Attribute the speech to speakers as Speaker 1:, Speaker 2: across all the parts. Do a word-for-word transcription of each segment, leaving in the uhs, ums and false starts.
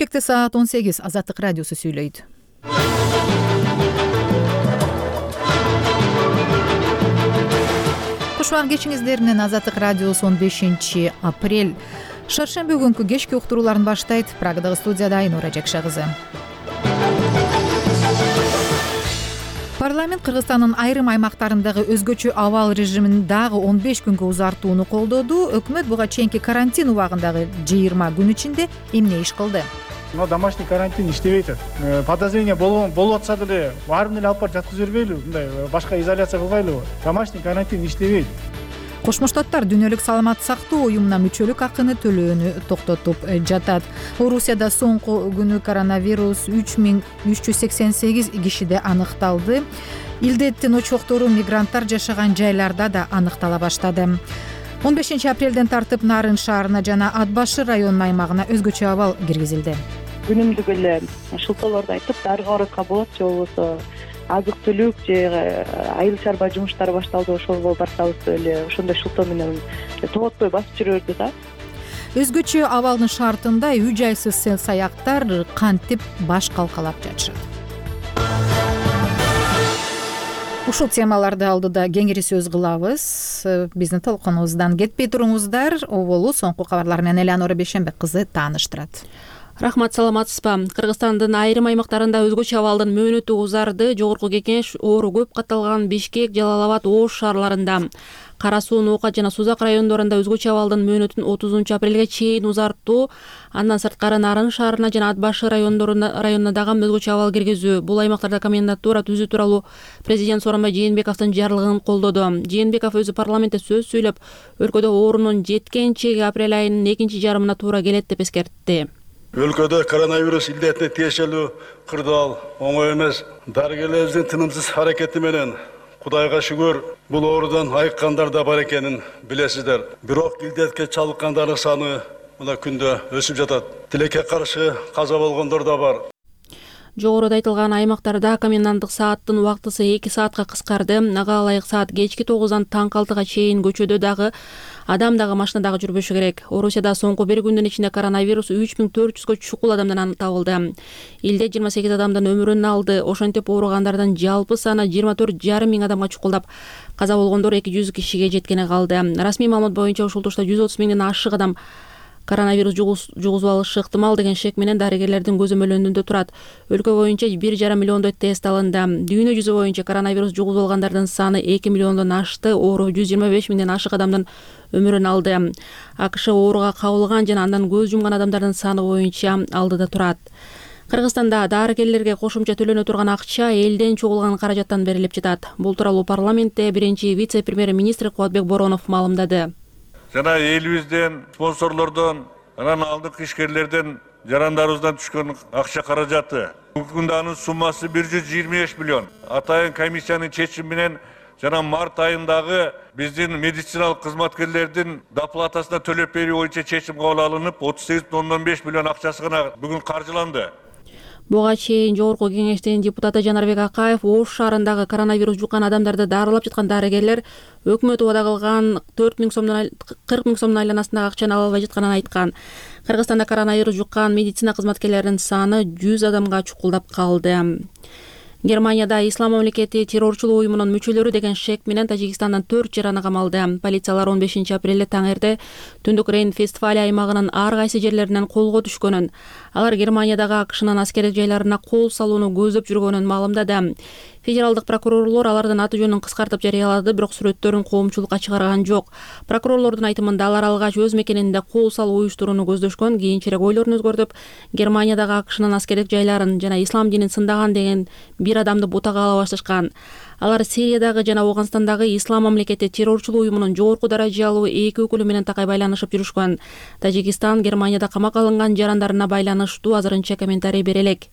Speaker 1: Бишкекте саат он сегиз. Азаттык радиосу сүйлөйт. Кушбак кечиңиздер менен Азаттык радиосу он бешинчи апрель шаршемби күнкү кечки уктурууларын баштайт. Прагадагы студияда Айнура Жакша кызы. Парламент Кыргызстандын айрым аймактарындагы өзгөчө абал режимин дагы он беш күнгө узартууну колдоду. Өкмөт буга чейинки карантин убагындагы жыйырма күн ичинде эмне иш кылды?
Speaker 2: Но домашний карантин иштебей атат. Подозрение болуп атса деле баарын эле алып барып жаткызып бербейлиби? Мындай башка изоляция кылбайлыбы? Домашний карантин иштебейт.
Speaker 1: Кошмо Штаттар дүйнөлүк саламаттык сактоо уюмуна мүчөлүк акыны төлөөнү токтотуп жатат. Орусияда соңку күнү коронавирус үч миң үч жүз сексен сегиз кишиде аныкталды. Илдеттин очоктору мигранттар жашаган жайларда да аныктала баштады. он бешинчи апрелден тартып Нарын шаарына жана Ат башы районунун аймагына өзгөчө абал киргизилди.
Speaker 3: Күнүмдүк эле шылтоолорду айтып, дарыга баратка болот же болбосо азык түлүк же айыл чарба жумуштары башталды, ошого барсабыз эле ошондой шылтоо менен тоботпой басып жүрөбүз да.
Speaker 1: Өзгөчө абалдын шартында үй жайсыз сел саяктар кантип баш калкалап жатышат. Ушул темаларды алдыда кеңири сөз кылабыз. Биздин толкунубуздан кетпей туруңуздар. Оболу соңку кабарлар менен Элеонора Бейшенбек кызы тааныштырат.
Speaker 4: Рахмат, саламатсызбы? Кыргызстандын айрым аймактарында өзгөчө абалдын мөөнөтү узарды. Жогорку кеңеш оору көп катталган Бишкек, Жалал Абад, Ош шаарларында, Кара Суу, Ноокат жана Сузак райондорунда өзгөчө абалдын мөөнөтүн отузунчу апрелге чейин узартуу. Андан сырткары Нарын шаарына жана Ат башы райондорунда районуна дагы өзгөчө абал киргизүү. Бул аймактарда комендатура түзүү тууралуу президент Сооронбай Жээнбековдун жарлыгын колдоду. Жээнбеков өзү парламентте сөз сүйлөп, өлкөдө оорунун жеткен чеги апрель айынын экинчи жарымына туура келет деп эскертти.
Speaker 5: Өлкөдө коронавирус илдетине тиешелүү кырдаал оңой эмес. Дарыгерлерибиздин тынымсыз аракети менен Кудайга шүгүр бул оорудан айыккандар да бар экенин билесиздер. Бирок илдетке чалдыккандардын саны мына күндө өсүп жатат. Тилекке каршы каза болгондор да бар.
Speaker 4: Жогоруда айтылган аймактарда коменданттык сааттын убактысы эки саатка кыскарды. Ага ылайык саат кечки тогуздан таңкы алтыга чейин көчөдө дагы, адам дагы машина дагы жүрбөшү керек. Орусияда соңку бир күндүн ичинде коронавирус үч миң төрт жүзгө чукул адамдан табылды. Илде жыйырма сегиз адамдын өмүрүн алды. Ошентип ооругандардын жалпы саны жыйырма төрт жарым миң адамга чукулдап, каза болгондор эки жүз кишиге жеткени калды. Расмий маалымат боюнча ушул тушта жүз отуз миңден ашык адам коронавирус жугузуп алышы ыктымал деген шек менен дарыгерлердин көзөмөлүндө турат. Өлкө боюнча бир жарым миллиондой тест алынды. Дүйнө жүзү боюнча коронавирус жугузуп алгандардын саны эки миллиондон ашты. Оору жүз жыйырма беш миңден ашык адамдын өмүрүн алды. АКШ ооруга кабылган жана андан көз жумган адамдардын саны боюнча алдыда турат. Кыргызстанда дарыгерлерге кошумча төлөнө турган акча элден чогулган каражаттан берилип жатат. Бул тууралуу парламентте биринчи вице-премьер-министр Кубатбек Боронов маалымдады.
Speaker 6: Жана элибизден, спонсорлордон, анан алдыңкы ишкерлерден, жарандарыбыздан түшкөн акча каражаты. Бүгүнкү күндө анын суммасы бир жүз жыйырма беш миллион. Атайын комиссиянын чечими менен жана март айындагы биздин медициналык кызматкерлердин доплатасына төлөп берүү боюнча чечим кабыл алынып, отуз сегиз бүтүн ондон беш миллион акчасы гана бүгүн каржыланды.
Speaker 4: Буга чейин Жогорку кеңештин депутаты Жанарбек Акаев Ош шаарындагы коронавирус жуккан адамдарды дарылап жаткан дарыгерлер өкмөт убада кылган төрт миң сомдон кырк миң сомдун айланасындагы акчаны ала албай жатканын айткан. Кыргызстанда коронавирус жуккан медицина кызматкерлеринин саны жүз адамга чукулдап калды. Германияда Ислам мамлекети террорчулук уюмунун мүчөлөрү деген шек менен Тажикстандан төрт жараны камалды. Полициялар он бешинчи апрелде таңерде Түндүк Рейн-Вестфалия аймагынын ар кайсы жерлеринен колго түшкөнүн, алар Германиядагы АКШнын аскердик жайларына кол салууну көздөп жүргөнүн маалымдады. Федералдык прокурорлор алардын аты жөнүн кыскартып жарыялады, бирок сүрөттөрүн коомчулукка чыгарган жок. Прокурорлордун айтымында алар алгач өз мекенинде кол салуу уюштурууну көздөшкөн, кийинчерээк ойлорун өзгөртүп, Германиядагы АКШнын аскердик жайларын жана ислам динин сындаган деген бир адамды бутага ала башташкан. Алар Сириядагы жана Ооганстандагы Ислам мамлекети террорчулук уюмунун жогорку даражалуу эки өкүлү менен такай байланышып жүрүшкөн. Тажикстан Германияда камакка алынган жарандарына байланыштуу азырынча комментарий бере элек.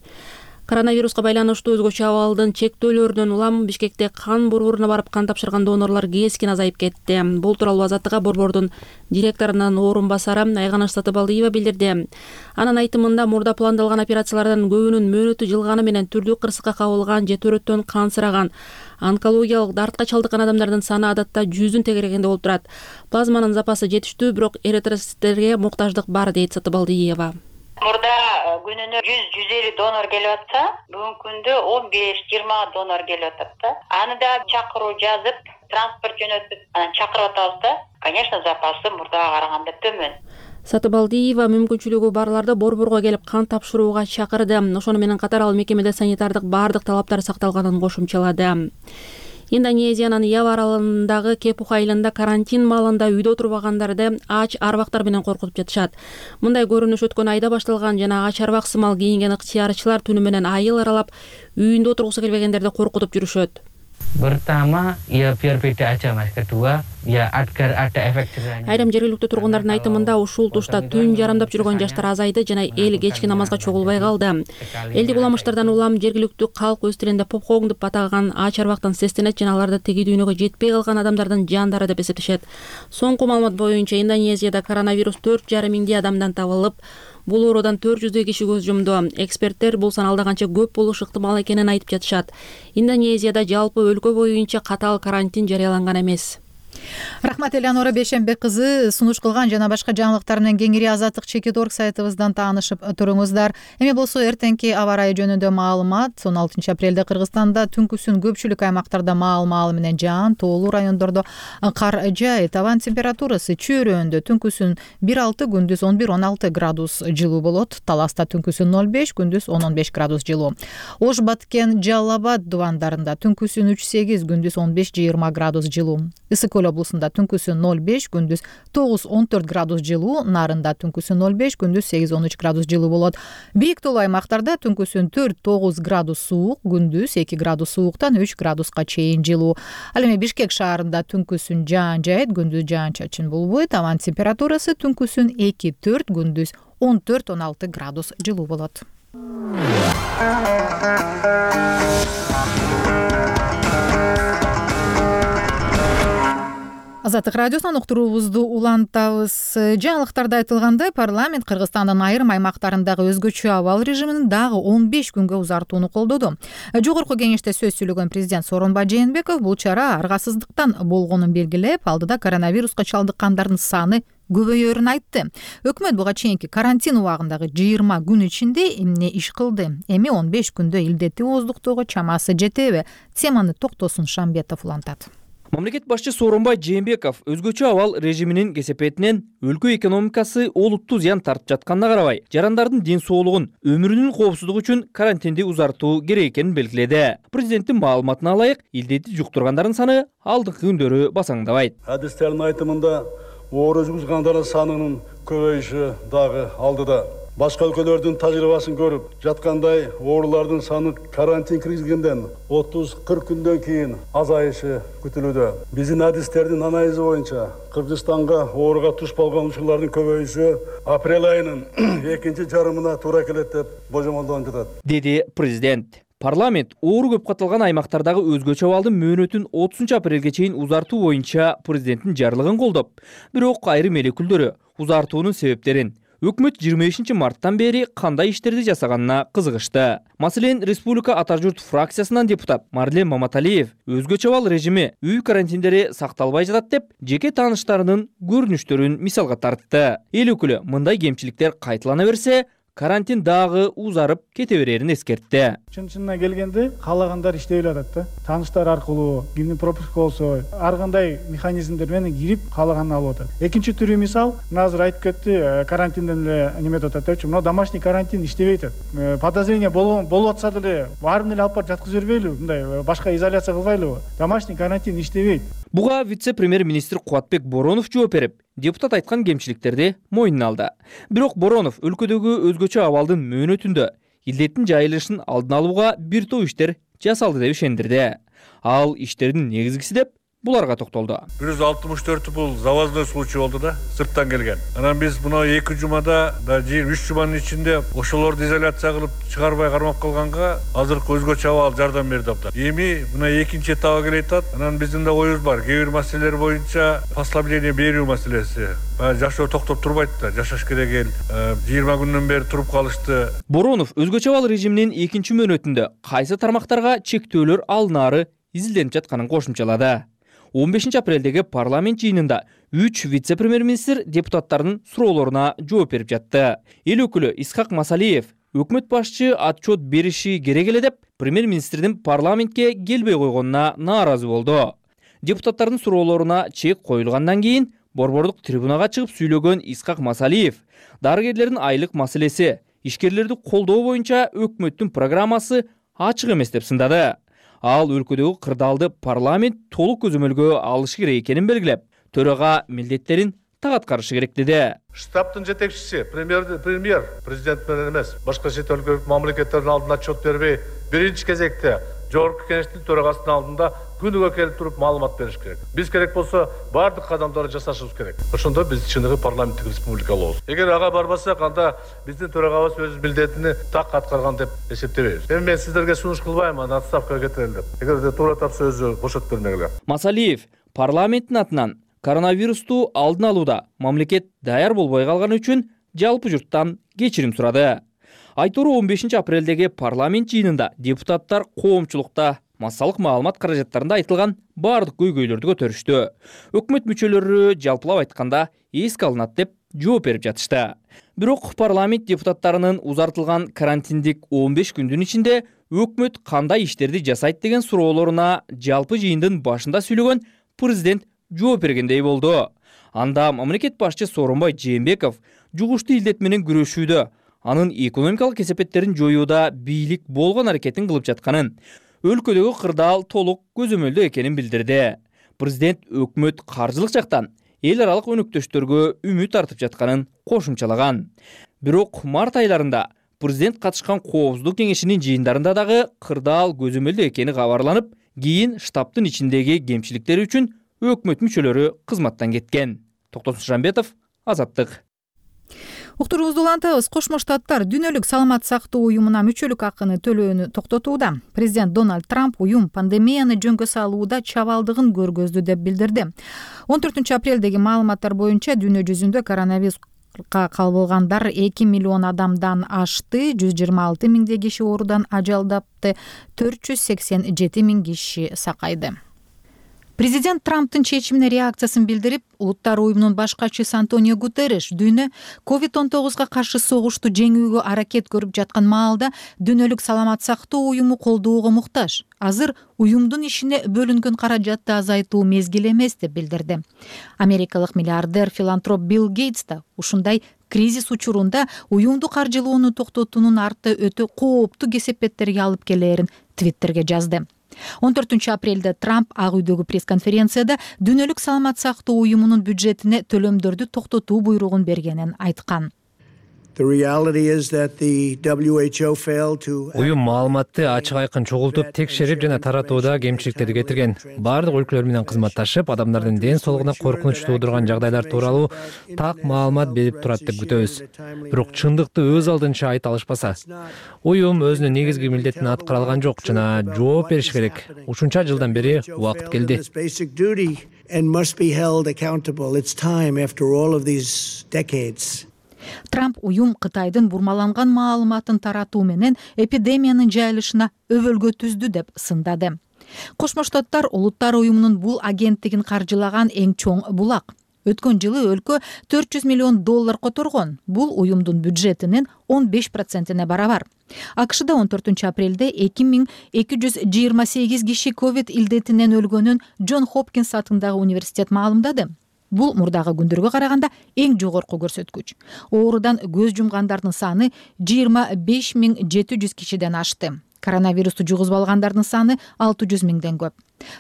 Speaker 4: Коронавируска байланыштуу өзгөчө абалдын чектөөлөрүнөн улам Бишкекте кан борборуна барып кан тапшырган донорлор кескин азайып кетти. Бул тууралуу Азаттыкка борбордун директорунун орун басары Айганыш Сатыбалдиева билдирди. Анын айтымында мурда пландалган операциялардан көбүнүн мөөнөтү жылганы менен түрдүү кырсыкка кабылган же төрөттөн кансыраган, онкологиялык дартка чалдыккан адамдардын саны адатта жүздүн тегерегинде болуп турат. Плазманын запасы жетиштүү, бирок эритроциттерге муктаждык бар, дейт Сатыбалдиева.
Speaker 7: Мурда күнүнө жүз жүз элүү донор келип атса, бүгүнкү күндө он беш жыйырма донор келип атат да. Аны да чакыруу жазып, транспорт жөнөтүп, анан чакырып атабыз да. Конечно, запасы мурдага караганда төмөн.
Speaker 4: Сатыбалдиева мүмкүнчүлүгү барларды борборго келип кан тапшырууга чакырды. Ошону менен катар ал мекемеде санитардык баардык талаптар сакталганын кошумчалады. Индонезиянын Ява аралындагы Кепух айылында карантин маалында үйдө отурбагандарды ач арбактар менен коркутуп жатышат. Мындай көрүнүш өткөн айда башталган жана ач арбак сымал кийинген ыктыярчылар түнү менен айыл аралап үйүндө отургусу келбегендерди коркутуп жүрүшөт.
Speaker 8: Pertama, ya biar beda aja mas. Kedua, ya agar ada efek jerahnya.
Speaker 4: Айрым жергиликтүү тургундардын айтымында ушул тушта түн жарымдап жүргөн жаштар азайды жана эл кечки намазга чогулбай калды. Элдик уламыштардан улам жергиликтүү калк өз тилинде попкоң деп атаган ач арбактан сестенет жана аларды теги дүйнөгө жетпей калган адамдардын жандары деп эсептешет. Соңку маалымат боюнча Индонезияда коронавирус төрт жарым миңдей адамдан табылып, бул оорудан төрт жүздөй киши көз жумду. Эксперттер бул сан алда канча көп болушу ыктымал экенин айтып жатышат. Индонезияда жалпы өлкө боюнча катаал карантин жарыяланган эмес.
Speaker 1: Рахмат Элеонора Бейшенбек кызы сунуш кылган жана башка жаңылыктар менен кеңири азаттык чекит точка орг сайтыбыздан таанышып туруңуздар. Эми болсо эртеңки аба ырайы жөнүндө маалымат. он алтынчы апрелде Кыргызстанда түнкүсүн көпчүлүк аймактарда маал-маалы менен жаан, тоолуу райондордо кар жаайт. Абанын температурасы чөйрөндө түнкүсүн бир алты, күндүз он бир он алты градус жылуу болот. Таласта түнкүсүн ноль беш, күндүз он он беш градус жылуу. Ош, Баткен, Жалал Абад дубандарында түнкүсүн үч сегиз, күндүз он беш жыйырма градус жылуу. Ысык Көл облусунда түнкүсүн ноль беш, күндүз тогуз он төрт градус жылуу, Нарында түнкүсүн ноль беш, күндүз сегиз он үч градус жылуу болот. Бийик тоолуу аймактарда түнкүсүн төрт тогуз градус суук, күндүз эки градус сууктан үч градуска чейин жылуу. Ал эми Бишкек шаарында түнкүсүн жаан жаайт, күндүз жаан-чачын болбойт. Абанын температурасы түнкүсүн эки төрт, күндүз он төрт он алты градус жылуу болот. Азаттык радиосунан уктуруубузду улантабыз. Жаңылыктарда айтылгандай, парламент Кыргызстандын айрым аймактарындагы өзгөчө абал режимин дагы он беш күнгө узартууну колдоду. Жогорку кеңеште сөз сүйлөгөн президент Сооронбай Жээнбеков бул чара аргасыздыктан болгонун белгилеп, алдыда коронавируска чалдыккандардын саны көбөйөрүн айтты. Өкмөт буга чейинки карантин убагындагы жыйырма күн ичинде эмне иш кылды? Эми он беш күндө илдетти ооздуктоого чамасы жетеби? Теманы Токтосун Шамбетов улантат.
Speaker 9: Мамлекет башчы Сооронбай Жээнбеков өзгөчө абал режиминин кесепетинен өлкө экономикасы олуттуу зыян тартып жатканына карабай, жарандардын ден соолугун, өмүрүнүн коопсуздугу үчүн карантинди узартуу керек экенин белгиледи. Президенттин маалыматына ылайык, илдетти жуктургандардын саны алдыңкы күндөрү басаңдабайт.
Speaker 5: Адистердин айтымында оору жугузгандардын санынын көбөйүшү дагы алдыда. Башка өлкөлөрдүн тажрыйбасын көрүп жаткандай, оорулардын саны карантин киргизгенден отуз кырк күндөн кийин азайышы күтүлүүдө. Биздин адистердин анализи боюнча Кыргызстанга ооруга туш болгон учурлардын көбөйүшү апрель айынын экинчи жарымына туура келет деп божомолдонуп жатат,
Speaker 9: деди президент. Парламент оору көп катталган аймактардагы өзгөчө абалдын мөөнөтүн отузунчу апрелге чейин узартуу боюнча президенттин жарлыгын колдоп, бирок айрым эл өкүлдөрү узартуунун себептерин өкмөт жыйырма бешинчи марттан бери кандай иштерди жасаганына кызыгышты. Маселен, Республика Ата журт фракциясынан депутат Марлен Маматалиев өзгөчө абал режими үй карантиндери сакталбай жатат деп, жеке тааныштарынын көрүнүштөрүн мисалга тартты. Эл өкүлү мындай кемчиликтер кайталана берсе, карантин дагы узарып кете берерин эскертти.
Speaker 2: Чын-чынына келгенде каалагандар иштей алат да. Тааныштар аркылуу, кимдин пропуска болсо, ар кандай механизмдер менен кирип каалаганын алып атат. Экинчи түрү мисал, азыр айтып кетти, карантинден эле неметип атат депчи. Мына домашний карантин иштебей атат. Подозрение болуп атса деле баарын эле алып барып жаткызып жибербейлиби? Мындай башка изоляция кылбайлыбы? Домашний карантин иштебейт.
Speaker 9: Буга вице-премьер-министр Кубатбек Боронов жооп берип, депутат айткан кемчиликтерди мойнуна алды. Бирок Боронов өлкөдөгү өзгөчө абалдын мөөнөтүндө илдеттин жайылышын алдын алууга бир топ иштер жасалды деп ишендирди. Ал иштердин негизгиси деп буларга токтолду.
Speaker 6: бир жүз алтымыш төртү бул завозной случай болду да, сырттан келген. Анан биз мына эки жумада да жыйырма үч жуманын ичинде ошолорду изоляция кылып чыгарбай кармап калганга азыркы өзгөчө абал жардам берди абдан. Эми мына экинчи этабы келет атат. Анан биздин да оюбуз бар. Кээ бир маселелер боюнча послабление берүү маселеси. Жашоо токтоп турбайт да, жашаш керек эл. жыйырма күндөн бери туруп калышты.
Speaker 9: Боронов өзгөчө абал режиминин экинчи мөөнөтүндө кайсы тармактарга чектөөлөр алынаары изилденип жатканын кошумчалады. он бешинчи апрелдеги парламент жыйынында үч вице-премьер-министр депутаттардын суроолоруна жооп берип жатты. Эл өкүлү Исхак Масалиев өкмөт башчы отчет бериши керек эле деп премьер-министрдин парламентке келбей койгонуна нааразы болду. Депутаттардын суроолоруна чек коюлгандан кийин борбордук трибунага чыгып сүйлөгөн Исхак Масалиев дарыгерлердин айлык маселеси, ишкерлерди колдоо боюнча өкмөттүн программасы ачык эмес деп сындады. Ал өлкөдөгү кырдаалды парламент толук көзөмөлгө алышы керек экенин белгилеп, төрага милдеттерин так аткарышы керек деди.
Speaker 10: Штабтын жетекчиси премьер премьер президент менен эмес, башка чет өлкөлүк мамлекеттердин алдында отчет бербей, биринчи кезекте жогорку кеңештин төрагасынын алдында күнүгө келип туруп маалымат бериш керек. Биз керек болсо бардык кадамдарды жасашыбыз керек. Ошондо биз чыныгы парламенттик республика болобуз. Эгер ага барбасак, анда биздин төрагабыз өз милдетин так аткарган деп эсептебейбиз. Эми мен сиздерге сунуш кылбайм, аны отставкага кетирели деп. Эгерде туура тапса өзү бошотуп бермегиле.
Speaker 9: Масалиев парламенттин атынан коронавирусту алдын алууда мамлекет даяр болбой калганы үчүн жалпы журттан кечирим сурады. Айтору он бешинчи апрелдеги парламент жыйынында депутаттар коомчулукта массалык маалымат каражаттарында айтылган бардык көйгөйлөрдү көтөрүштү. Өкмөт мүчөлөрү жалпылап айтканда эске алынат деп жооп берип жатышты. Бирок парламент депутаттарынын узартылган карантиндик он беш күндүн ичинде өкмөт кандай иштерди жасайт деген суроолоруна жалпы жыйындын башында сүйлөгөн президент жооп бергендей болду. Анда мамлекет башчы Сооронбай Жээнбеков жугуштуу илдет менен күрөшүүдө, анын экономикалык кесепеттерин жоюуда бийлик болгон аракетин кылып жатканын, өлкөдөгү кырдаал толук көзөмөлдө экенин билдирди. Президент өкмөт каржылык жактан эл аралык өнөктөштөргө үмүт артып жатканын кошумчалаган. Бирок март айларында президент катышкан коопсуздук кеңешинин жыйындарында дагы кырдаал көзөмөлдө экени кабарланып, кийин штабтын ичиндеги кемчиликтер үчүн өкмөт мүчөлөрү кызматтан кеткен. Токтосун Шамбетов, Азаттык.
Speaker 1: Уктуруубузду улантабыз. Кошмо Штаттар Дүйнөлүк саламат сактоо уюмуна мүчөлүк акыны төлөөнү токтотууда. Президент Дональд Трамп уюм пандемияны жөнгө салууда чабалдыгын көргөздү деп билдирди. он төртүнчү апрелдеги маалыматтар боюнча дүйнө жүзүндө коронавирусга кабылгандар эки миллион адамдан ашты, жүз жыйырма алты миңдей киши оорудан ажалдапты, төрт жүз сексен жети миң киши сакайды. Президент Трамптын чечимине реакциясын билдирип, Улуттар уюмунун баш катчысы Антонио Гутерриш дүйнө ковид он тогузга каршы согушту жеңүүгө аракет көрүп жаткан маалда дүйнөлүк саламат сактоо уюму колдоого муктаж. Азыр уюмдун ишине бөлүнгөн каражатты азайтуу мезгили эмес деп билдирди. Америкалык миллиардер филантроп Билл Гейтс да ушундай кризис учурунда уюмду каржылоону токтотуунун арты өтө кооптуу кесепеттерге алып келээрин Твиттерге жазды. он төртүнчү апрелде Трамп Ак үйдөгү пресс-конференцияда дүйнөлүк саламат сактоо уюмунун бюджетине төлөмдөрдү токтотуу буйругун бергенин айткан.
Speaker 11: Уюм маалыматты ачык айкын чогултуп, текшерип жана таратууда кемчиликтерди кетирген. Бардык өлкөлөр менен кызматташып, адамдардын ден соолугуна коркунуч туудурган жагдайлар тууралуу так маалымат берип турат деп күтөбүз. Бирок чындыкты өз алдынча айта алышпаса, уюм өзүнүн негизги милдетин аткара алган жок жана жооп бериш керек. Ушунча жылдан бери убакыт келди.
Speaker 1: Трамп уюм Кытайдын бурмаланган маалыматын таратуу менен эпидемиянын жайылышына өбөлгө түздү деп сындады. Кошмо Штаттар Улуттар уюмунун бул агенттигин каржылаган эң чоң булак. Өткөн жылы өлкө төрт жүз миллион доллар которгон. Бул уюмдун бюджетинин он беш процентине барабар. АКШда он төртүнчү апрелде эки миң эки жүз жыйырма сегиз киши ковид илдетинен өлгөнүн Джон Хопкинс атындагы университет маалымдады. Бул мурдагы күндөргө караганда эң жогорку көрсөткүч. Оорудан көз жумгандардын саны жыйырма беш миң жети жүз кишиден ашты. Коронавирусту жугузбалгандардын саны алты жүз миңден көп.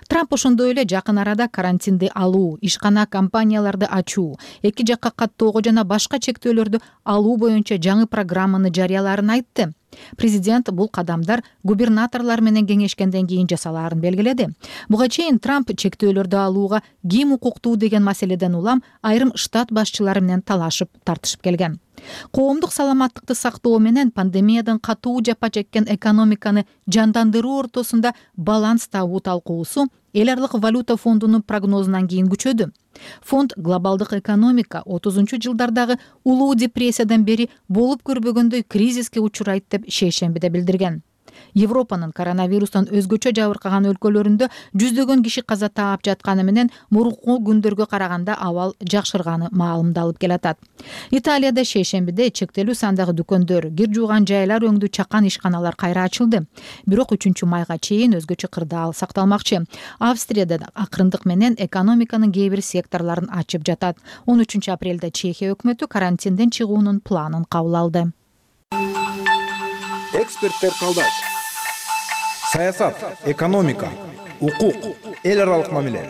Speaker 1: Трамп ошондой эле жакын арада карантинди алуу, ишкана компанияларды ачуу, эки жакка каттоого жана башка чектөөлөрдү алуу боюнча жаңы программаны жарыялаарын айтты. Президент бул кадамдар губернаторлор менен кеңешкенден кийин жасалаарын белгиледи. Буга чейин Трамп чектөөлөрдү алууга ким укуктуу деген маселеден улам айрым штат башчылары менен талашып, тартышып келген. Коомдук саламаттыкты сактоо менен пандемиядан катуу жапа чеккен экономиканы жандандыруу ортосунда баланс табуу талкуусу эл аралык валюта фондунун прогнозунан кийин күчөдү. Фонд глобалдык экономика отузунчу жылдардагы улуу депрессиядан бери болуп көрбөгөндөй кризиске учурайт деп шейшембиде билдирген. Европанын коронавирустан өзгөчө жабыркаган өлкөлөрүндө жүздөгөн киши каза таап жатканы менен мурунку күндөргө караганда абал жакшырганы маалымдалып келатат. Италияда шейшембиде чектелүү сандагы дүкөндөр, кир жууган жайлар өңдүү чакан ишканалар кайра ачылды. Бирок үчүнчү майга чейин өзгөчө кырдаал сакталмакчы. Австрияда акырындык менен экономиканын кээ бир секторлорун ачып жатат. он үчүнчү апрелде Чехия өкмөтү карантинден чыгуунун планын кабыл алды.
Speaker 12: Эксперттер калдайт. Саясат, экономика, укук, эл аралык мамиле,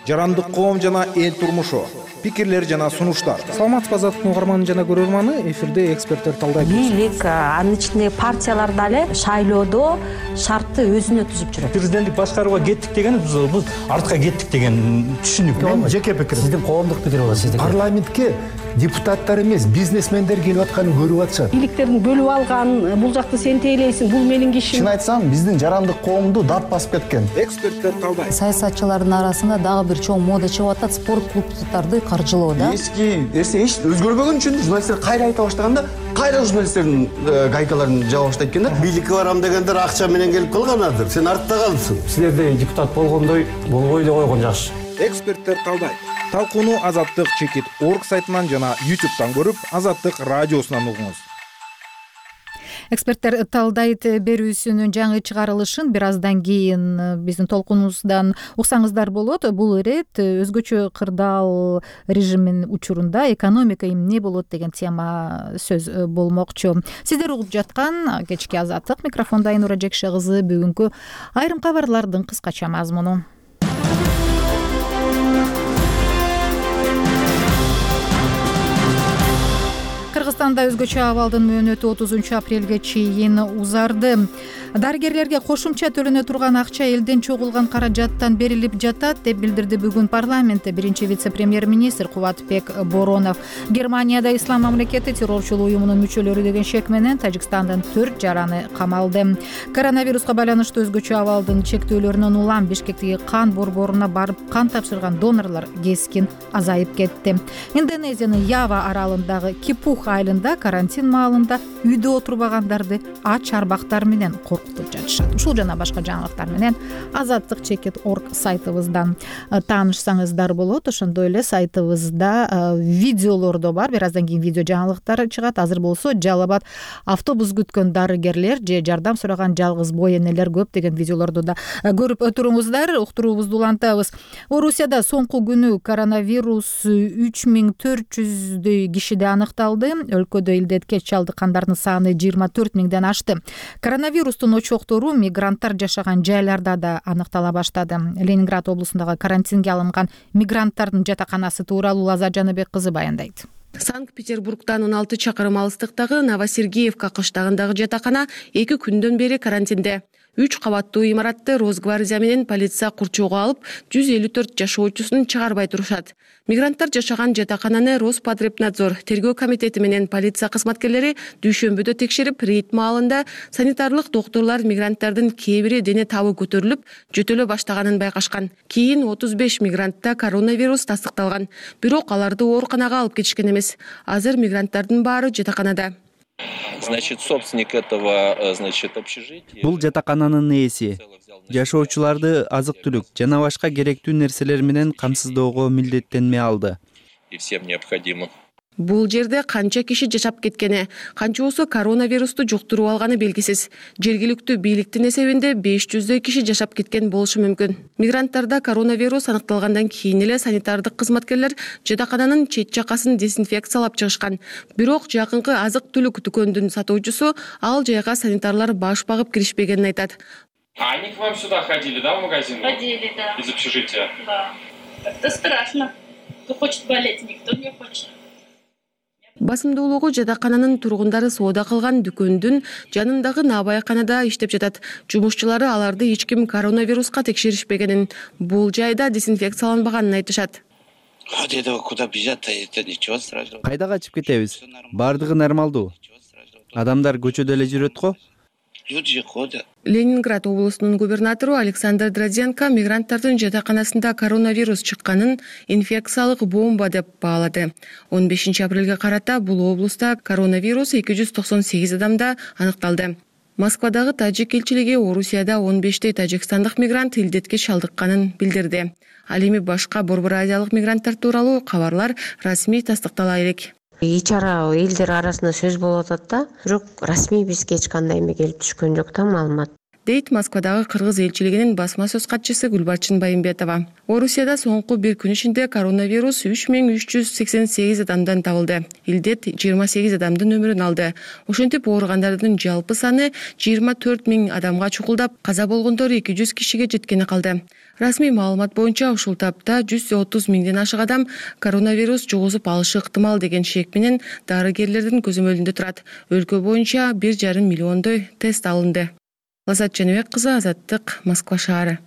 Speaker 12: жарандык коом жана эл турмушу, пикирлер жана сунуштар.
Speaker 13: Саламатсызбы азаттык угарманы жана көрөрманы, эфирде эксперттер талдайт.
Speaker 14: Бийлик, анын ичинде партиялар дагы шайлоодо шартты өзүнө түзүп жүрөт.
Speaker 15: Президенттик башкарууга кеттик деген биз артка кеттик деген түшүнүк.
Speaker 16: Мен жеке пикирим.
Speaker 15: Сиздин коомдук пикир болот сиздики.
Speaker 16: Парламентке депутаттар эмес, бизнесмендер келип атканын көрүп атышат.
Speaker 14: Бийликтердин бөлүп алган, бул жакты сен тейлейсиң, бул менин кишим.
Speaker 16: Чын айтсам, биздин жарандык коомду дат басып кеткен.
Speaker 12: Эксперттер талдайт.
Speaker 17: Саясатчылардын арасында дагы бир чоң мода чыгып атат, спорт клубдарды каржылоо да.
Speaker 18: Эски нерсе эч өзгөрбөгөн үчүн журналисттер кайра айта баштаганда, кайра журналисттердин гайкаларын жаба баштайт экен да.
Speaker 19: Бийликке барам дегендер акча менен келип калганадыр. Сен артта калдысың.
Speaker 15: Силерде депутат болгондой болбой эле койгон жакшы.
Speaker 12: Эксперттер талдайт. Талкууну Азаттык чекит орг сайтынан жана ютубтан көрүп, Азаттык радиосунан угуңуз.
Speaker 1: Эксперттер талдайт берүүсүнүн жаңы чыгарылышын бир аздан кийин биздин толкунубуздан уксаңыздар болот. Бул ирет өзгөчө кырдаал режимин учурунда экономика эмне болот деген тема сөз болмокчу. Сиздер угуп жаткан кечки Азаттык, микрофондо Айнура Жекше кызы. Бүгүнкү айрым кабарлардын кыскача мазмуну. Кыргызстанда өзгөчө абалдын мөөнөтү отузунчу апрелге чейин узарды. Дарыгерлерге кошумча төлөнө турган акча элден чогулган каражаттан берилип жатат деп билдирди бүгүн парламентте биринчи вице-премьер-министр Кубатбек Боронов. Германияда ислам мамлекети террорчулук уюмунун мүчөлөрү деген шек менен Тажикстандын төрт жараны камалды. Коронавируска байланыштуу өзгөчө абалдын чектөөлөрүнөн улам Бишкектеги кан борборуна барып кан тапшырган донорлор кескин азайып кетти. Индонезиянын Ява аралындагы Кипух айылында карантин маалында үйдө отурбагандарды ач арбактар менен коркутуп жатышат. Ушул жана башка жаңылыктар менен азаттык чекит орг сайтыбыздан таанышсаңыздар болот. Ошондой эле сайтыбызда видеолордо бар. Бир аздан кийин видео жаңылыктар чыгат. Азыр болсо Жалал Абад автобус күткөн дарыгерлер же жардам сураган жалгыз бой энелер көп деген видеолорду да көрүп туруңуздар. Уктуруубузду улантабыз. Орусияда соңку күнү коронавирус үч миң төрт жүздөй кишиде аныкталды. Өлкөдө илдетке чалдыккандардын саны жыйырма төрт миңден ашты. Коронавирустун очоктору мигранттар жашаган жайларда да аныктала баштады. Ленинград облусундагы карантинге алынган мигранттардын жатаканасы тууралуу Лаза Жаныбек кызы баяндайт.
Speaker 20: Санкт-Петербургдан он алты чакырым алыстыктагы Новосергеевка кыштагындагы жатакана эки күндөн бери карантинде. Үч кабаттуу имаратты Росгвардия менен полиция курчоого алып, жүз элүү төрт жашоочусун чыгарбай турушат. Мигранттар жашаган жатакананы Роспотребнадзор тергөө комитети менен полиция кызматкерлери дүйшөмбүдө текшерип, рейд маалында санитарлык докторлор мигранттардын кээ бири дене табы көтөрүлүп, жөтөлө баштаганын байкашкан. Кийин отуз беш мигрантта коронавирус тастыкталган. Бирок аларды ооруканага алып кетишкен эмес. Азыр мигранттардын баары жатаканада.
Speaker 21: Значит, собственник этого, значит, общежития.
Speaker 22: Бул жатакананын ээси жашоочуларды азык-түлүк жана башка керектүү нерселер менен камсыздоого милдеттенме алды.
Speaker 21: И всем необходимым.
Speaker 20: Бул жерде канча киши жашап кеткени, канчоосу коронавирусту жуктуруп алганы белгисиз. Жергиликтүү бийликтин эсебинде беш жүздөй киши жашап кеткен болушу мүмкүн. Мигранттарда коронавирус аныкталгандан кийин эле санитардык кызматкерлер жатакананын чет жакасын дезинфекциялап чыгышкан. Бирок жакынкы азык-түлүк дүкөндүн сатуучусу ал жайга санитарлар баш багып киришпегенин айтат.
Speaker 23: А они к вам сюда ходили, да, в магазин?
Speaker 24: Ходили, да.
Speaker 23: Из общежития?
Speaker 24: Да. Это страшно. Кто хочет болеть, никто не хочет.
Speaker 20: Басымдуулугу жатакананын тургундары соода кылган дүкөндүн жанындагы набайканада иштеп жатат. Жумушчулары аларды эч ким коронавируска текшеришпегенин, бул жайда дезинфекцияланбаганын айтышат.
Speaker 21: Куда бежать-то, это ничего страшного.
Speaker 22: Кайда качып кетебиз? Бардыгы нормалдуу. Адамдар көчөдө эле жүрөт го.
Speaker 21: Люди же ходят.
Speaker 20: Ленинград облусунун губернатору Александр Дродзенко мигранттардын жатаканасында коронавирус чыкканын инфекциялык бомба деп баалады. он бешинчи апрелге карата бул облуста коронавирус эки жүз токсон сегиз адамда аныкталды. Москвадагы тажик элчилиги Орусияда он бештей тажикстандык мигрант илдетке чалдыкканын билдирди. Ал эми башка борбор азиялык мигранттар тууралуу кабарлар расмий тастыктала элек.
Speaker 3: Ич ара элдер арасында сөз болуп атат да, бирок расмий бизге эч кандай эме келип түшкөн жок да маалымат.
Speaker 20: Дейт Москвадагы кыргыз элчилигинин басма сөз катчысы Гүлбарчын Байымбетова. Орусияда соңку бир күн ичинде коронавирус үч миң үч жүз сексен сегиз адамдан табылды. Илдет жыйырма сегиз адамдын өмүрүн алды. Ошентип ооругандардын жалпы саны жыйырма төрт миң адамга чукулдап, каза болгондор эки жүз кишиге жеткени калды. Расмий маалымат боюнча ушул тапта жүз отуз миңден ашык адам коронавирус жугузуп алышы ыктымал деген шек менен дарыгерлердин көзөмөлүндө турат. Өлкө боюнча бир жарым миллиондой тест алынды. Лазат Жаныбек кызы, Азаттык, Москва шаары.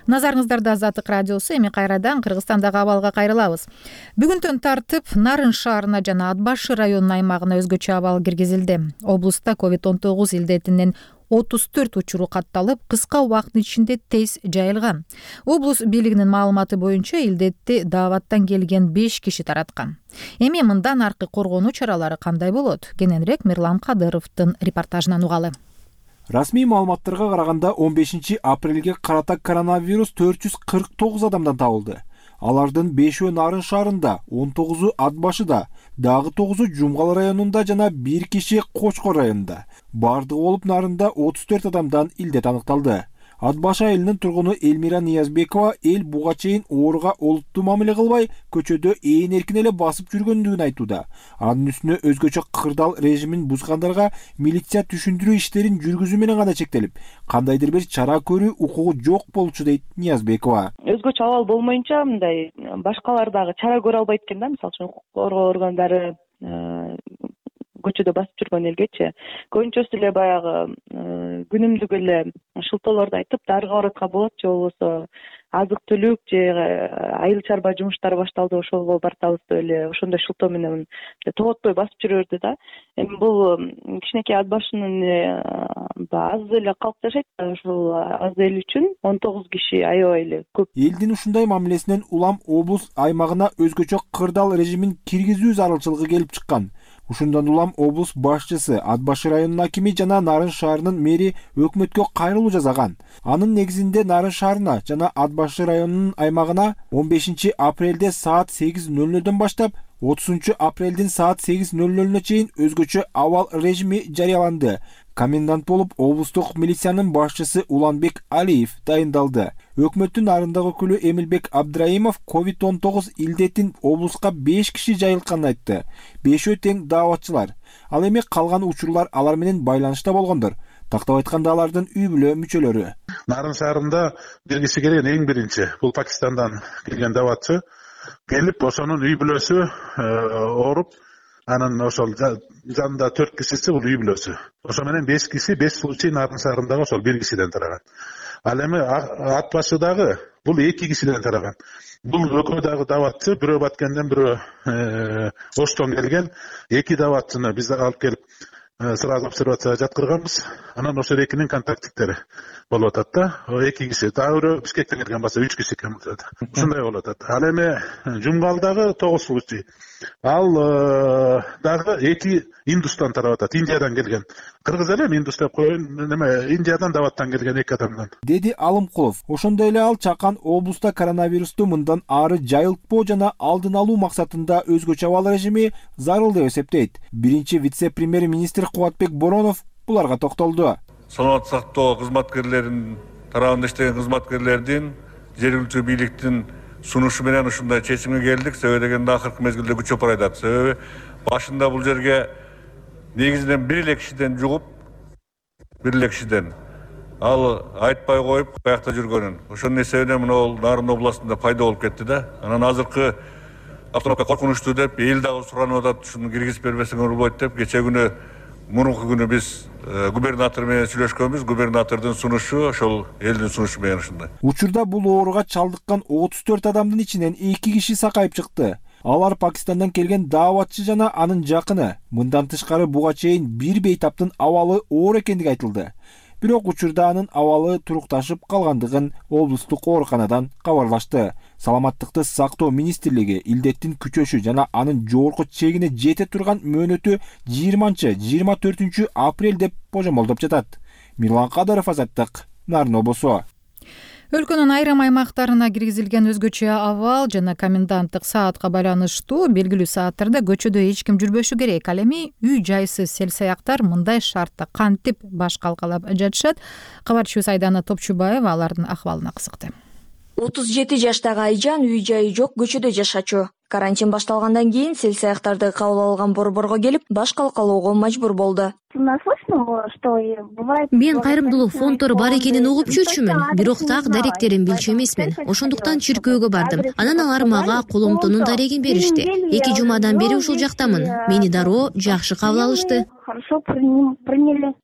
Speaker 1: Назарыңыздарда Азаттык радиосу. Эми кайрадан Кыргызстандагы абалга кайрылабыз. Бүгүндөн тартып Нарын шаарына жана Ат башы районунун аймагына өзгөчө абал киргизилди. Облуста ковид он тогуз илдетинин отуз төрт учуру катталып, кыска убакыттын ичинде тез жайылган. Облус бийлигинин маалыматы боюнча илдетти дааваттан келген беш киши тараткан. Эми мындан аркы коргонуу чаралары кандай болот? Кененирээк Мирлан Кадыровдун репортажынан угалы.
Speaker 4: Расмий маалыматтарга караганда он бешинчи апрелге карата коронавирус төрт жүз кырк тогуз адамдан табылды. Алардын бешөө Нарын шаарында, он тогузу Ат башыда, дагы тогузу Жумгал районунда жана бир киши Кочкор районунда. Бардыгы болуп Нарында отуз төрт адамдан илдет аныкталды. Ат башы айылынын тургуну Элмира Ниязбекова эл буга чейин ооруга олуттуу мамиле кылбай, көчөдө ээн эркин эле басып жүргөндүгүн айтууда. Анын үстүнө өзгөчө кырдаал режимин бузгандарга милиция түшүндүрүү иштерин жүргүзүү менен гана чектелип, кандайдыр бир чара көрүү укугу жок болчу дейт Ниязбекова.
Speaker 7: Өзгөчө абал болмоюнча мындай башкалар дагы чара көрө албайт экен да, мисалы үчүн укук коргоо органдары көчөдө басып жүргөн элгечи көбүнчөсү эле баягы күнүмдүк эле шылтоолорду айтып дарыга баратка болот же болбосо азык түлүк же айыл чарба жумуштары башталды ошого бартабыз деп эле ошондой шылтоо менен тоготпой басып жүрө берди да. Эми бул кичинекей Ат башынын аз эле калк жашайт, ушул аз эл үчүн он тогуз киши аябай эле көп.
Speaker 4: Элдин ушундай мамилесинен улам облус аймагына өзгөчө кырдаал режимин киргизүү зарылчылыгы келип чыккан. Ушундан улам облус башчысы, Ат башы районунун акими жана Нарын шаарынын мэри өкмөткө кайрылуу жасаган. Анын негизинде Нарын шаарына жана Ат башы районунун аймагына он бешинчи апрелде саат сегиз ноль нольдон баштап отузунчу апрелдин саат сегиз ноль нольуна чейин өзгөчө абал режими жарыяланды. Комендант болуп облустук милициянын башчысы Уланбек Алиев дайындалды. Өкмөттүн Нарындагы өкүлү Эмилбек Абдраимов ковид он тогуз илдетин облуска беш киши жайылтканын айтты. Бешөө тең дааватчылар. Ал эми калган учурлар алар менен байланышта болгондор. Тактап айтканда алардын үй бүлө мүчөлөрү.
Speaker 8: Нарын шаарында бир киши келген, эң биринчи. Бул Пакистандан келген дааватчы. Келип, ошонун үй бүлөсү ооруп, анын ошол жанында төрт кишиси бул үй бүлөсү. Ошо менен беш киши, беш случай Нарын шаарындагы ошол бир кишиден тараган. Ал эми Ат башыдагы бул эки кишиден тараган. Бул экөө дагы дааватчы, бирөө Баткенден, бирөө Оштон келген эки дааватчыны биз алып келип сразу обсервацияга жаткырганбыз. Анан ошол экинин контактиктери болуп атат да. Эки киши, дагы бирөө Бишкектен келген болсо үч киши экен. Ушундай болуп атат. Ал эми Жумгалдагы тогуз случай. Ал дагы эки Индустан тарап атат, Индиядан келген. Кыргыз эле Индус деп коеюн, неме Индиядан дааваттан келген эки адамдан.
Speaker 4: Деди Алымкулов. Ошондой эле ал чакан облуста коронавирусту мындан ары жайылтпоо жана алдын алуу максатында өзгөчө абал режими зарыл деп эсептейт. Биринчи вице-премьер-министр Кубатбек Боронов буларга токтолду.
Speaker 6: Саламаттык сактоо кызматкерлеринин тарабында иштеген кызматкерлердин жергиликтүү бийликтин сунушу менен ушундай чечимге келдик. Себеби дегенде акыркы мезгилде күчөп барайдат. Себеби башында бул жерге негизинен бир эле кишиден жугуп, бир эле кишиден ал айтпай коюп каякта жүргөнүн. Ошонун эсебинен мына Нарын областында пайда болуп кетти да. Анан азыркы автономка коркунучтуу деп эл дагы суранып атат, ушуну киргизип бербесеңер болбойт деп. Кече күнү, мурунку күнү биз губернатор менен сүйлөшкөнбүз. Губернатордун сунушу ошол элдин сунушу менен ушундай.
Speaker 4: Учурда бул ооруга чалдыккан отуз төрт адамдын ичинен эки киши сакайып чыкты. Алар Пакистандан келген дааватчы жана анын жакыны. Мындан тышкары буга чейин бир бейтаптын абалы оор экендиги айтылды. Бирок учурда анын абалы турукташып калгандыгын облустук ооруканадан кабарлашты. Саламаттыкты сактоо министрлиги илдеттин күчөшү жана анын жогорку чегине жете турган мөөнөтү жыйырманчы жыйырма төртүнчү апрель деп божомолдоп жатат. Мирлан Кадыров, Азаттык, Нарын облусу.
Speaker 1: Өлкөнүн айрым аймактарына киргизилген өзгөчө абал жана коменданттык саатка байланыштуу белгилүү сааттарда көчөдө эч ким жүрбөшү керек. Ал эми үй жайсыз селсаяктар мындай шартта кантип баш калкалап жатышат? Кабарчыбыз Айдана Топчубаева алардын акыбалына кызыкты.
Speaker 2: отуз жети жаштагы Айжан үй жайы жок көчөдө жашачу. Карантин башталгандан кийин селсаяктарды кабыл алган борборго келип баш калкалоого мажбур болду.
Speaker 5: Мен кайрымдуулук фонддору бар экенин угуп жүрчүмүн, бирок так даректерин билчү эмесмин. Ошондуктан чиркөөгө бардым. Анан алар мага коломтонун дарегин беришти. Эки жумадан бери ушул жактамын. Мени дароо жакшы кабыл алышты.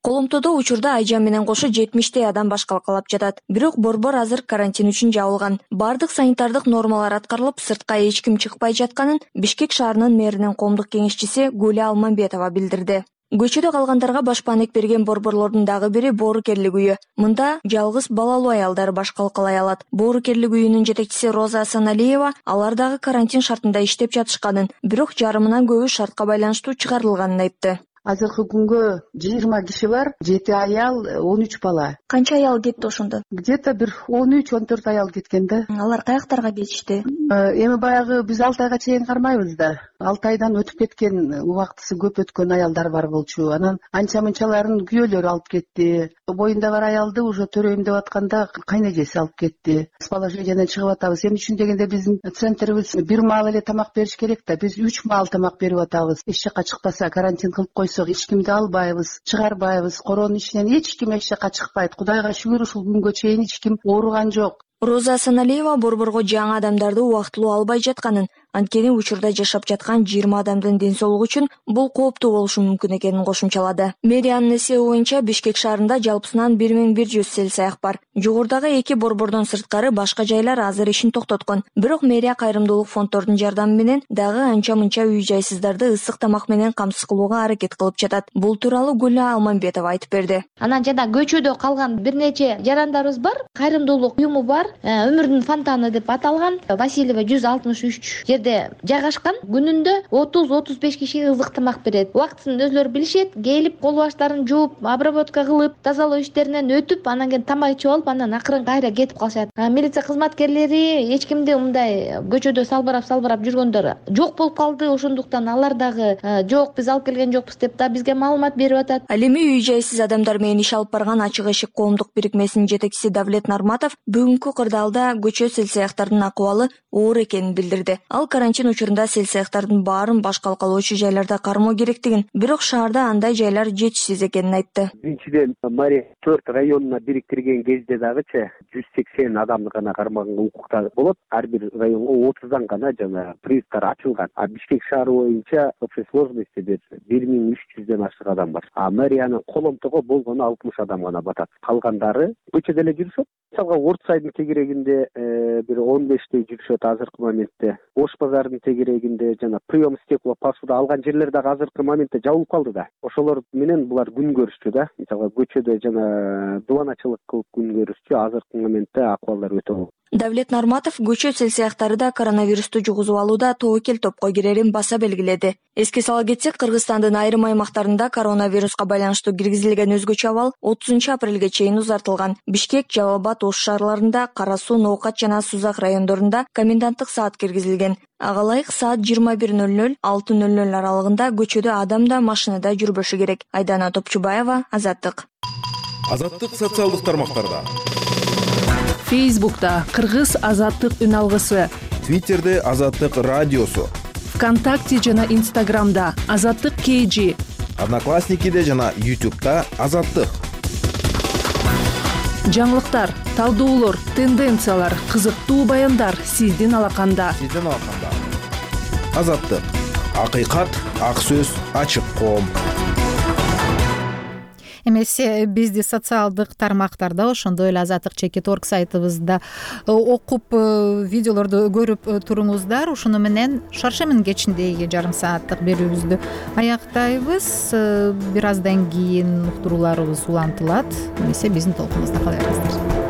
Speaker 2: Коломтодо учурда Айжан менен кошо жетимиштей адам баш калкалап жатат. Бирок борбор азыр карантин үчүн жабылган. Бардык санитардык нормалар аткарылып, сыртка эч ким чыкпай жатканын Бишкек шаарынын мэринин коомдук кеңешчиси Гүлү Алманбетова билдирди. Көчөдө калгандарга башпаанек берген борборлордун дагы бири Боорукерлик үйү. Мында жалгыз балалуу аялдар баш калкалай алат. Боорукерлик үйүнүн жетекчиси Роза Асаналиева алар дагы карантин шартында иштеп жатышканын, бирок жарымынан көбү шартка байланыштуу чыгарылганын айтты.
Speaker 9: Азыркы күнгө жыйырма киши бар, жети аял, он үч бала.
Speaker 2: Канча аял кетти ошондо?
Speaker 9: Где-то бир он үч он төрт аял кеткен да.
Speaker 2: Алар каяктарга кетишти?
Speaker 9: Эми баягы биз алты айга чейин кармайбыз да. алты айдан өтүп кеткен, убактысы көп өткөн аялдар бар болчу. Анан анча-мынчаларын күйөөлөрү алып кетти. Боюнда бар аялды уже төрөйм деп атканда кайнежеси алып кетти. С положенияден чыгып атабыз. Эмне үчүн дегенде биздин центрибиз бир маал эле тамак бериш керек да. Биз үч маал тамак берип атабыз. Эч жакка чыкпаса, карантин кылып койсок, эч кимди албайбыз, чыгарбайбыз. Коронун ичинен эч ким эч жакка чыкпайт. Кудайга шүгүр, ушул күнгө чейин эч ким ооруган жок.
Speaker 2: Роза Асаналиева борборго жаңы адамдарды убактылуу албай жатканын, анткени учурда жашап жаткан жыйырма адамдын ден соолугу үчүн бул кооптуу болушу мүмкүн экенин кошумчалады. Мэриянын эсеби боюнча Бишкек шаарында жалпысынан бир миң бир жүз селсаяк бар. Жогорудагы эки борбордон сырткары башка жайлар азыр ишин токтоткон. Бирок мэрия кайрымдуулук фонддордун жардамы менен дагы анча-мынча үй жайсыздарды ысык тамак менен камсыз кылууга аракет кылып жатат. Бул тууралуу Гүлү Алманбетова айтып берди.
Speaker 10: Анан жана көчөдө калган бир нече жарандарыбыз бар, кайрымдуулук уюму бар. Өмүрдүн фонтаны деп аталган. Васильева жүз алтымыш үч жерде жайгашкан. Күнүндө отуз отуз беш кишиге ызык тамак берет. Убактысын өзлөрү билишет. Келип кол баштарын жууп, обработка кылып, тазалоо иштеринен өтүп, анан кийин тамак ичип алып, анан акырын кайра кетип калышат. Милиция кызматкерлери эч кимди мындай көчөдө салбырап-салбырап жүргөндөр жок болуп калды. Ошондуктан алар дагы жок, биз алып келген жокпуз деп да бизге маалымат берип атат.
Speaker 2: Ал эми үй жайсыз адамдар менен иш алып барган Ачык эшик коомдук бирикмесинин жетекчиси Давлет Нарматов бүгүнкү кырдаалда көчө селсаяктардын акыбалы оор экенин билдирди. Ал карантин учурунда селсаяктардын баарын баш калкалоочу жайларда кармоо керектигин, бирок шаарда андай жайлар жетишсиз экенин айтты.
Speaker 25: Биринчиден, мэрия төрт районуна бириктирген кезде дагычы жүз сексен адамды гана кармаганга укукта болот. Ар бир районго отуздан гана жана приюттар ачылган. А Бишкек шаары боюнча общей сложности бир миң үч жүздөн ашык адам бар. А мэриянын коломтого болгону алтымыш адам гана батат. Калгандары көчөдө эле жүрүшөт. Мисалга Ордсайдын тегерегинде бир он бештей жүрүшөт азыркы моментте. Ош базарынын тегерегинде жана прием стекла посуда алган жерлер дагы азыркы моментте жабылып калды да. Ошолор менен булар күн көрүшчү да. Мисалга көчөдө жана дубаначылык кылып күн көрүшчү. Азыркы моментте акыбалдар өтө оор.
Speaker 2: Давлет Нарматов көчө селсаяктары да коронавирусту жугузуп алууда тобокел топко кирерин баса белгиледи. Эске сала кетсек, Кыргызстандын айрым аймактарында коронавируска байланыштуу киргизилген өзгөчө абал отузунчу апрелге чейин узартылган. Бишкек, Жалал абад, Ош шаарларында, Кара суу, Ноокат жана Сузак райондорунда коменданттык саат киргизилген. Ага ылайык саат жыйырма бир ноль ноль алты ноль ноль аралыгында көчөдө адам да машинада жүрбөшү керек. Айдана Топчубаева, Азаттык.
Speaker 12: Азаттык социалдык тармактарда.
Speaker 20: Фейсбукта Кыргыз Азаттык үн алгысы,
Speaker 12: Твиттерде Азаттык радиосу,
Speaker 20: ВКонтакте жана Инстаграмда Азаттык кей жи,
Speaker 12: Одноклассникиде жана Ютубта Азаттык.
Speaker 20: Жаңылыктар, талдоолор, тенденциялар, кызыктуу баяндар сиздин алаканда.
Speaker 12: Сиздин алаканда. Азаттык. Акыйкат, ак сөз, ачык коом.
Speaker 1: эмесе бизди социалдык тармактарда ошондой эле азаттык чекит орг сайтыбызда окуп видеолорду көрүп туруңуздар. Ушуну менен Шаршемин кечиндеги жарым сааттык берүүбүздү аяктайбыз. Бир аздан кийин уктурууларыбыз улантылат. Эмесе биздин толкунубузда калыңыздар.